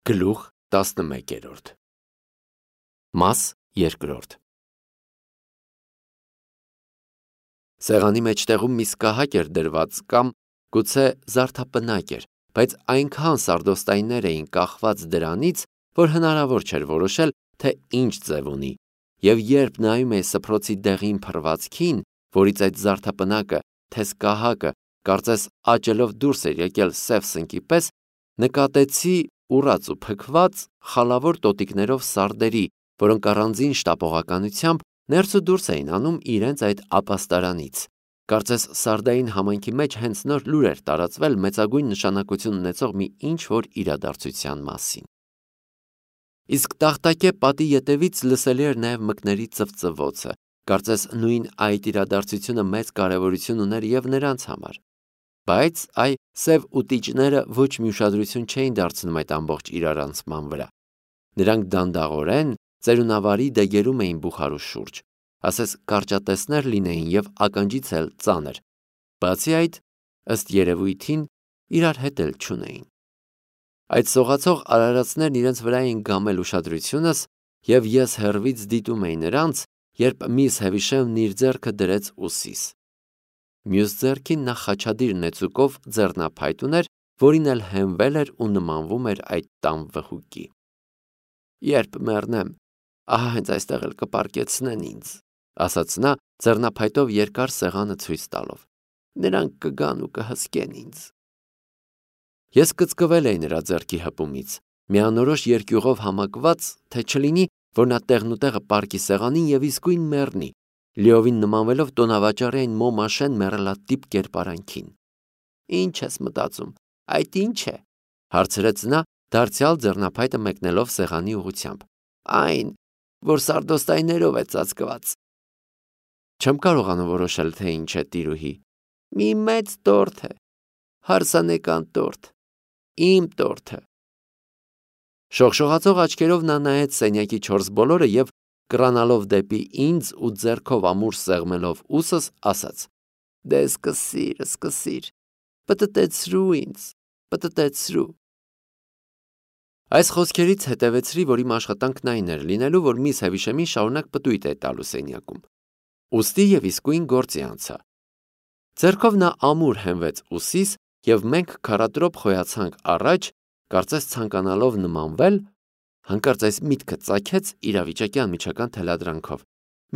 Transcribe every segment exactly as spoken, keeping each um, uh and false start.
Գլուխ տասնմեկերորդ Մաս երկրորդ Սեղանի մեջտեղում մի սկահակ էր դրված կամ գուցե զարդապնակ էր, բայց այնքան սարդոստայններ էին կախված դրանից, որ հնարավոր չէր որոշել, թե ինչ ձև ունի, և երբ նայում էի սփռոցի դեղին փռվածքին, որից այդ զարդապնակը, թե սկահակը, կարծես աճելով դուրս էր եկել սև սնկի պես, նկատեցի ուռած ու փքված խալավոր տոտիկներով սարդերի, որոնք առանձին շտապողականությամբ ներս ու դուրս էին անում իրենց այդ ապաստարանից, կարծես սարդային համայնքի մեջ հենց նոր լուր էր տարածվել մեծագույն նշանակություն ունեցող մի ինչ-որ իրադարձության մասին։ Իսկ տախտակե պատի ետևից լսելի էր նաև մկների ծվծվոցը, կարծես նույն այդ իրադարձությունը մեծ կարևորություն ուներ և նրանց համար, բայց այ սև ուտիճները ոչ մի ուշադրություն չէին դարձնում այդ ամբողջ իրարանցման վրա։ Նրանք դանդաղորեն ծերունավարի դեգերում էին բուխարու շուրջ, ասես կարճատեսներ լինեին և ականջից էլ ծանր, բացի այդ, ըստ երևույթին, իրար հետ էլ չունեին։ Այդ սողացող արարածներն իրենց վրա էին գամել ուշադրությունս, և ես հեռվից դիտում էի նրանց, երբ միս Հևիշեմն իր ձեռքը դրեց ուսիս։ Մյուս ձեռքին նա խաչադիր նեցուկով ձեռնափայտ ուներ, որին էլ հենվել էր ու նմանվում էր այդ տան վհուկի։ Երբ մեռնեմ, ահա հենց այստեղ էլ կպառկեցնեն ինձ, ասաց նա, ձեռնափայտով երկար սեղանը ցույց տալով։ Նրանք կգան ու կհսկեն ինձ։ Ես կծկվել էի նրա ձեռքի հպումից, միանորոշ երկյուղով համակված, թե չլինի, որ նա տեղնուտեղը պառկի սեղանին և իսկույն մեռնի, լիովին նմանվելով տոնավաճառի այն մոմաշեն մեռելատիպ կերպարանքին։ Ինչ ես մտածում, այդ ի՞նչ է, հարցրեց նա, դարձյալ ձեռնափայտը մեկնելով սեղանի ուղղությամբ։ Այն, որ սարդոստայներով է ծածկված։ Չեմ կարողանում որոշել, թե ինչ է, տիրուհի։ Մի մեծ տորթ է, հարսանեկան տորթ, իմ տորթը։ Շողշողացող աչքերով նա նայեց սենյակի չորս բոլորը և կռանալով դեպի ինձ ու ձեռքով ամուր սեղմելով ուսս, ասաց. Դե սկսիր, սկսիր, պտտեցրու ինձ, պտտեցրու։ Այս խոսքերից հետևեցրի, որ իմ աշխատանքն այն էր լինելու, որ միս Հևիշեմին շարունակ պտույտ է տալու սենյակում։ Ուստի և իսկույն գործի անցա։ Ձեռքով նա ամուր հենվեց ուսիս, և մենք քառատրոփ խոյացանք առաջ, կարծես ցանկանալով նմանվել, հանկարծ այս միտքը ծագեց իրավիճակի անմիջական թելադրանքով.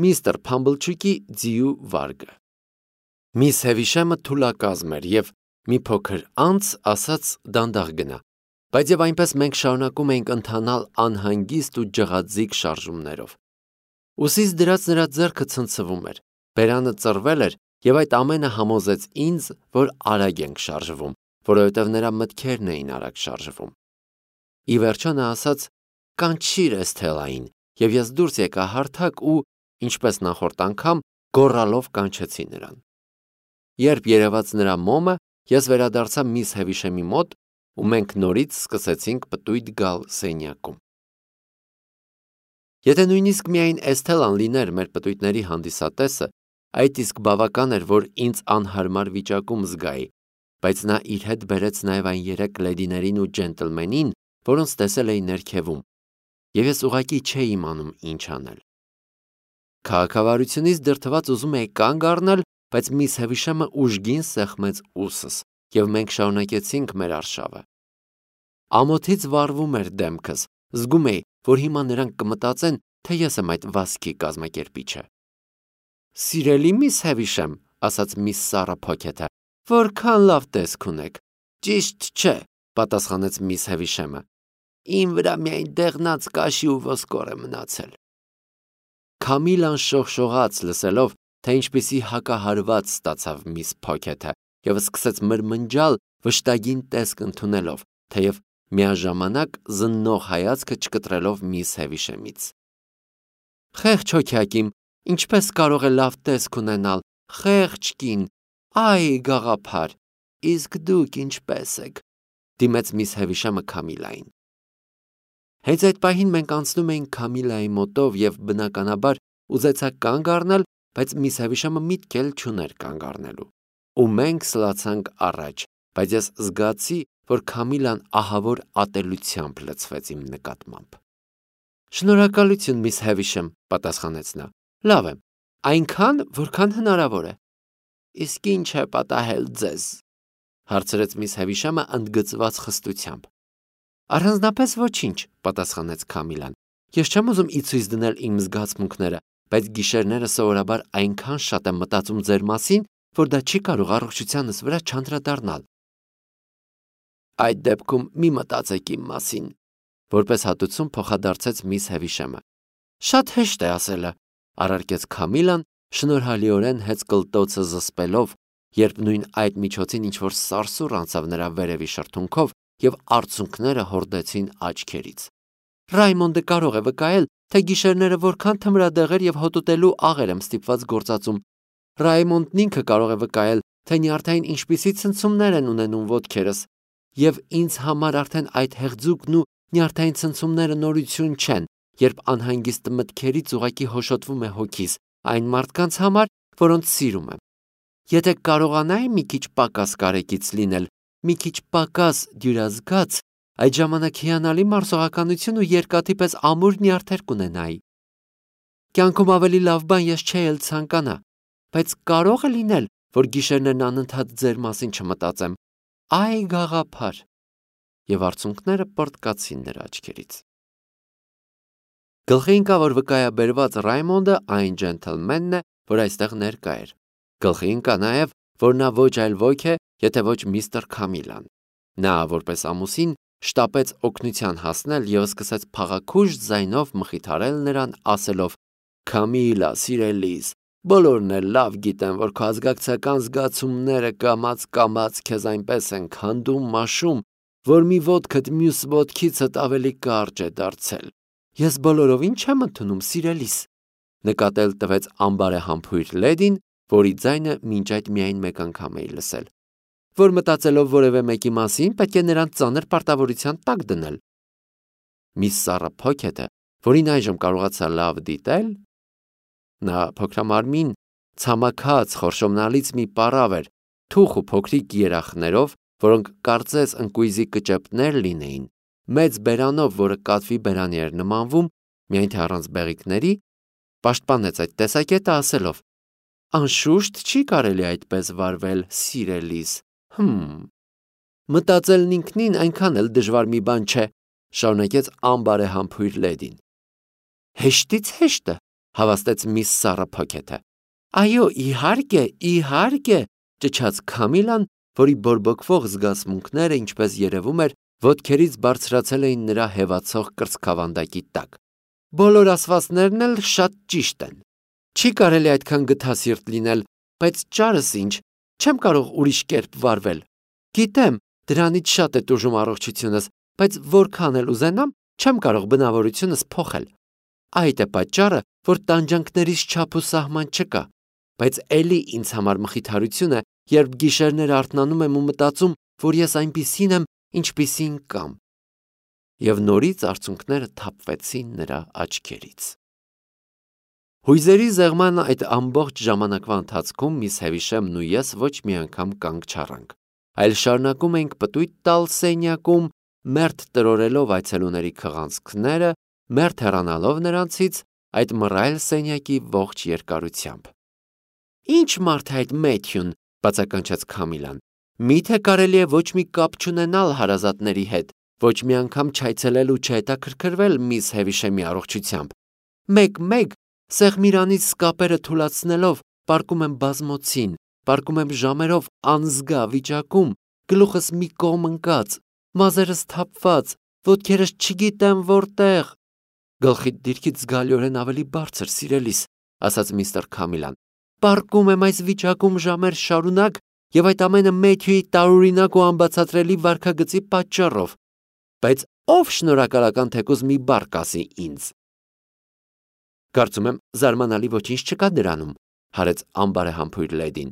միստր Փամբլչուկի ձիու վարգը։ Միս Հևիշեմը թուլակազմ էր և մի փոքր անց ասաց դանդաղ գնա, բայց և այնպես մենք շարունակում էինք ընթանալ անհանգիստ ու ջղաձիգ շարժումներով։ Ուսիս դրած նրա ձեռքը ցնցվում էր, բերանը ծռվել էր, և այդ ամենը համոզեց ինձ, որ արագ ենք շարժվում, որովհետև նրա մտքերն էին արագ շարժվում։ Ի վերջո նա ասաց. Կանչիր Էսթելային, և ես դուրս եկա հարթակ ու, ինչպես նախորդ անգամ, գոռալով կանչեցի նրան։ Երբ երևաց նրա մոմը, ես վերադարձա միս Հևիշեմի մոտ, ու մենք նորից սկսեցինք պտույտ գալ սենյակում։ Եթե նույնիսկ միայն Էսթելան լիներ մեր պտույտների հանդիսատեսը, այդ իսկ բավական էր, որ ինձ անհարմար վիճակում զգայի, բայց նա իր հետ բերեց նաև այն երեք լեդիներին ու ջենտլմենին, որոնց տեսել էի ներքևում, և ես ուղղակի չէի իմանում ինչ անել։ Քաղաքավարությունից դրդված ուզում էի կանգ առնել, բայց միս Հևիշեմը ուժգին սեղմեց ուսս, և մենք շարունակեցինք մեր արշավը։ Ամոթից վառվում էր դեմքս, զգում էի, որ հիմա նրանք կմտածեն, թե ես եմ այդ վասկի կազմակերպիչը։ Սիրելի միս Հևիշեմ, ասաց միս Սառա Փոքեթը, որքան լավ տեսք ունեք։ Ճիշտ չէ, պատասխանեց միս Հևիշեմը։ Իմ վրա միայն դեղնած կաշի ու ոսկոր է մնացել։ Քամիլան շողշողաց լսելով, թե ինչպիսի հակահարված ստացավ միս Փոքեթը, և սկսեց մրմնջալ վշտագին տեսք ընդունելով, թեև միաժամանակ զննող հայացքը չկտրելով միս Հևիշեմից։ Խեղճ հոգյակ իմ, ինչպես կարող է լավ տեսք ունենալ, խեղճ կին, այ գաղափար, իսկ դուք ինչպես եք, դիմեց միս Հևիշեմը Քամիլային։ Հենց այդ պահին մենք անցնում էինք Քամիլայի մոտով և բնականաբար ուզեցա կանգ առնել, բայց միս Հևիշեմը միտք էլ չուներ կանգ առնելու։ Ու մենք սլացանք առաջ, բայց ես զգացի, որ Քամիլան ահավոր ատելությամբ լցվեց իմ նկատմամբ։ Շնորհակալություն, միս Հևիշեմ, պատասխանեց նա։ Լավ է, այնքան, որքան հնարավոր է։ Իսկ ինչ է պատահել ձեզ, հարցրեց միս Հևիշամը ընդգծված խստությամբ։ Առանձնապես ոչինչ, պատասխանեց Քամիլան։ Ես չեմ ուզում ի ցույց դնել իմ զգացմունքները, բայց գիշերները սովորաբար այնքան շատ եմ մտածում ձեր մասին, որ դա չի կարող առողջությանս վրա չանդրադառնալ։ Այդ դեպքում մի մտածեք իմ մասին, որպես հատուցում փոխադարձեց միս Հևիշեմը։ Շատ հեշտ է ասելը, առարկեց Քամիլան, շնորհալիորեն հեծ կլտոցը զսպելով, երբ նույն այդ միջոցին ինչ-որ սարսուռ անցավ նրա վերևի շրթունքով և արցունքները հորդեցին աչքերից։ Ռայմոնդը կարող է վկայել, թե գիշերները որքան թմրադեղեր և հոտոտելու աղեր եմ ստիպված գործածում։ Ռայմոնդն ինքը կարող է վկայել, թե նյարդային ինչպիսի ցնցումներ են ունենում ոտքերս, և ինձ համար արդեն այդ հեղձուկն ու նյարդային ցնցումները նորություն չեն, երբ անհանգիստ մտքերից ուղղակի հոշոտվում է հոգիս այն մարդկանց համար, որոնց սիրում եմ։ Եթե կարողանայի մի քիչ պակաս կարեկից լինել, մի քիչ պակաս դյուրազգաց, այդ ժամանակ հիանալի մարսողականություն ու երկաթի պես ամուր նյարդեր կունենայի։ Կյանքում ավելի լավ բան ես չէի էլ ցանկանա, բայց կարող է լինել, որ գիշերներն անընդհատ ձեր մասին չմտածեմ։ Այ գաղափար։ Եվ արցունքները պռտկացին նրա աչքերից։ Գլխի ընկավ, որ վկայաբերված Ռայմոնդը այն ջենթլմենն է, որ այստեղ ներկա էր։ Գլխի ընկա նաև, որ նա ոչ այլ ոք է, եթե ոչ միստր Քամիլան։ Նա, որպես ամուսին, շտապեց օգնության հասնել և սկսեց փաղաքուշ ձայնով մխիթարել նրան, ասելով. Քամիլա, սիրելիս, բոլորն էլ լավ գիտեն, որ քո ազգակցական զգացումները կամաց-կամաց քեզ այնպես են քանդում, մաշում, որ մի ոտքդ մյուս ոտքիցդ ավելի կարճ է դարձել։ Ես բոլորովին չեմ ընդունում, սիրելիս, նկատել տվեց անբարեհամբույր լեդին, որի ձայնը մինչ այդ միայն մեկ անգամ էի լսել, որ մտածելով որևէ մեկի մասին պետք է նրան ծանր պարտավորության տակ դնել։ Միս Սառա Փոքեթը, որին այժմ կարողացա լավ դիտել, նա փոքրամարմին, ցամաքած խորշոմնալից մի պառավ էր, թուխ ու փոքրիկ երախներով, որոնք կարծես ընկույզի կճեպներ լինեին, մեծ բերանով, որը կատվի բերանի էր նմանվում, միայն թե առանց բեղիկների, պաշտպանեց այդ տեսակետը ասելով. Անշուշտ չի կարելի այդպես վարվել, սիրելիս։ Հմ։ Մտածելն ինքնին այնքան էլ դժվար մի բան չէ, շարունակեց անբարեհամբույր լեդին։ Հեշտից հեշտը, հավաստեց միս Սառա Փոքեթը։ Այո, իհարկե, իհարկե, ճչաց Քամիլան, որի բորբոքվող զգացմունքները, ինչպես երևում էր, ոտքերից բարձրացել էին նրա հևացող կրծքավանդակի տակ։ Բոլոր ասվածներն էլ շատ ճիշտ են։ Չի կարելի այդքան գթասիրտ լինել, բայց ճարս ինչ, չեմ կարող ուրիշ կերպ վարվել։ Գիտեմ, դրանից շատ է տուժում առողջությունս, բայց որքան էլ ուզենամ, չեմ կարող բնավորությունս փոխել։ Այդ է պատճառը, որ տանջանքներիս չափ ու սահման չկա, բայց էլի ինձ համար մխիթարություն է, երբ գիշերները արթնանում եմ ու մտածում, որ ես այնպիսին եմ, ինչպիսին կամ։ Եվ նորից արցունքները թափվեցին նրա աչքերից։ Հույզերի զեղման այդ ամբողջ ժամանակվա ընթացքում միս Հևիշեմն ու ես ոչ մի անգամ կանգ չառանք, այլ շարունակում էինք պտույտ տալ սենյակում, մերթ տրորելով այցելուների քղանցքները, մերթ հեռանալով նրանցից այդ մռայլ սենյակի ողջ երկարությամբ։ Ինչ մարդ է այդ Մեթյուն, բացականչեց Քամիլան։ Միթե կարելի է ոչ մի կապ չունենալ հարազատների հետ, ոչ մի անգամ չայցելել ու չհետաքրքրվել միս Հևիշեմի առողջությամբ։ Մեկ-մեկ սեղմիրանից սկապերը թուլացնելով պառկում եմ բազմոցին, պառկում եմ ժամերով անզգա վիճակում, գլուխս մի կողմ ընկած, մազերս թափված, ոտքերս չգիտեմ որտեղ։ Գլխիդ դիրքից զգալիորեն ավելի բարձր, սիրելիս, ասաց միստր Քամիլան։ Պառկում եմ այս վիճակում ժամեր շարունակ և այդ ամենը Մեթյուի տարօրինակ ու անբացատրելի վարքագծի պատճառով։ Բայց ով շնորհակալական թեկուզ մի բառ կասի ինձ։ Կարծում եմ զարմանալի ոչինչ չկա դրանում, հարեց անբարեհամբույր լեդին։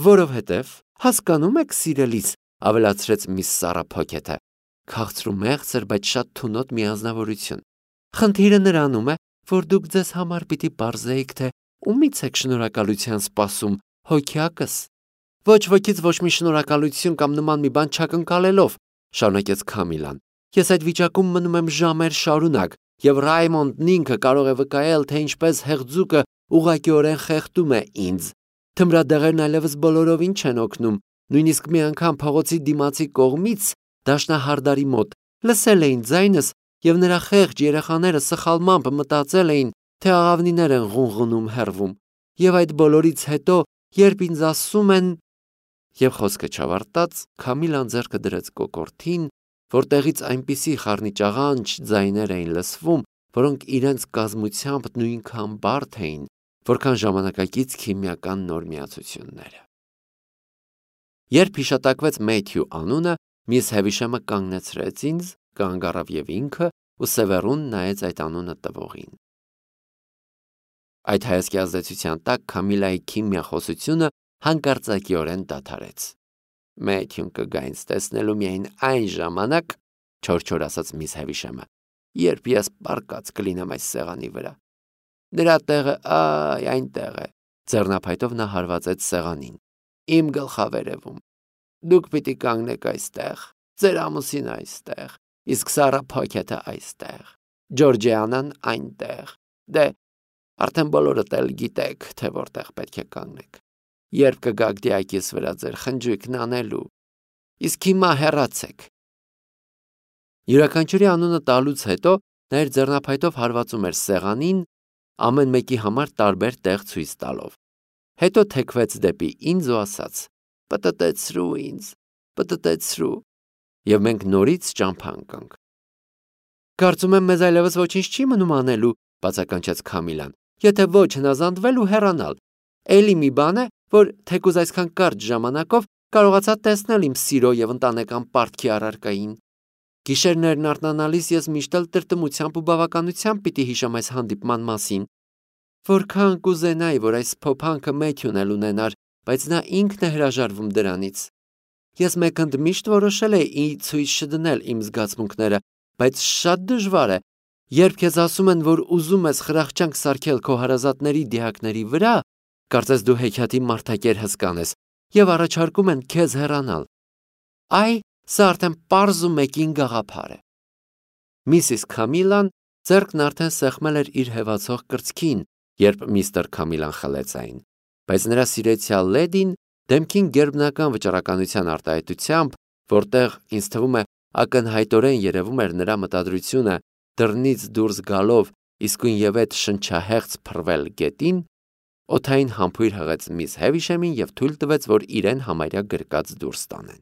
Որովհետև, հասկանում եք, սիրելիս, ավելացրեց միս Սառա Փոքեթը, քաղցր ու մեղսր, բայց շատ թունոտ մի անձնավորություն։ Խնդիրը նրանում է, որ դուք ձեզ համար պիտի պարզեիք, թե ումից եք շնորհակալության սպասում, հոգյակս, Ոչ ոքից ոչ մի շնորհակալություն կամ նման մի բան չակնկալելով, շարունակեց Քամիլան։ Ես այդ վիճակում մնում եմ ժամեր շարունակ, եւ Ռայմոնդն ինքը կարող է վկայել, թե ինչպես հեղձուկը ուղղակիորեն խեղդում է ինձ։ Թմրադեղերն այլևս բոլորովին չեն օգնում, նույնիսկ մի անգամ փողոցի դիմացի կողմից դաշնահարդարի մոտ լսել էին ձայնս, եւ նրա խեղճ երեխաները սխալմամբ մտածել էին, թե աղավնիներ են ղունղունում հեռվում, եւ այդ բոլորից հետո, երբ ինձ ասում են, եւ խոսքը չավարտած, Քամիլան ձեռքը դրեց կոկորդին, որտեղից այնպիսի խառնիճաղանճ ձայներ էին լսվում, որոնք իրենց կազմությամբ նույնքան բարդ էին, որքան ժամանակակից քիմիական նոր միացությունները։ Երբ հիշատակվեց Մեթյու անունը, միս Հևիշեմը կանգնեցրեց ինձ, կանգ առավ եւ ինքը ու սևեռուն նայեց այդ անունը տվողին։ Այդ հայացքի ազդեցության տակ Քամիլայի քիմիախոսությունը հանկարծակիորեն դադարեց։ Մեթյուն կգա ինձ տեսնելու միայն այն ժամանակ, չոր-չոր ասաց միս Հևիշեմը, երբ ես պարկած կլինեմ այս սեղանի վրա։ Նրա տեղը այ այնտեղ է, ձեռնափայտով նա հարվածեց սեղանին։ Իմ գլխավերևում։ Դուք պիտի կանգնեք այստեղ, ձեր ամուսինը այստեղ, իսկ Սարա Փոքեթը այստեղ, Ջորջիանան այնտեղ։ Դե, արդեն բոլորդ էլ գիտեք, թե որտեղ պետք է կանգնեք։ Երբ կգաք դիակիս վրա ձեր խնջույքն անելու, իսկ հիմա հեռացեք։ Յուրաքանչյուրի անունը տալուց հետո նա իր ձեռնափայտով հարվածում էր սեղանին, ամեն մեկի համար տարբեր տեղ ցույց տալով։ Հետո թեքվեց դեպի ինձ ու ասաց. «Պտտեցրու ինձ, պտտեցրու», եւ մենք նորից ճամփա ընկանք։ Կարծում եմ մեզ այլևս ոչինչ չի մնում անելու, բացականչեց Քամիլան, եթե ոչ հնազանդվել ու հեռանալ։ Էլի մի բան է, որ թեկուզ այսքան կարճ ժամանակով կարողացա տեսնել իմ սիրո եւ ընտանեկան պարտքի առարկային։ Գիշերներն արթնանալիս ես միշտ էլ տրտմությամբ ու բավականությամբ պիտի հիշեմ այս հանդիպման մասին։ Որքան կուզենայի, որ այս փոփանքը Մեթյուն էլ ունենար, բայց նա ինքն է հրաժարվում դրանից։ Ես մեկընդ միշտ որոշել էի ցույց չդնել իմ զգացմունքները, բայց շատ դժվար է, երբ քեզ ասում են, որ ուզում ես խրախճանք սարքել քո հարազատների դիակների վրա, կարծես դու հեքիաթի մարդակեր հսկան ես, եւ առաջարկում են քեզ հեռանալ։ Այ, սա արդեն պարզ ու մեկին գաղափար է։ Միսիս Քամիլան ձեռքն արդեն սեղմել էր իր հեվացող կրծքին, երբ միստր Քամիլան խլեց այն, բայց նրա սիրեցյալ լեդին դեմքին գերբնական վճռականության արտահայտությամբ, որտեղ ինձ թվում է ակնհայտորեն երևում էր նրա մտադրությունը դռնից դուրս գալով իսկույնևեթ շնչահեղձ փռվել գետին, օդային համբույր հղեց միս Հևիշեմին եւ թույլ տվեց, որ իրեն համարյա գրկած դուրս տանեն։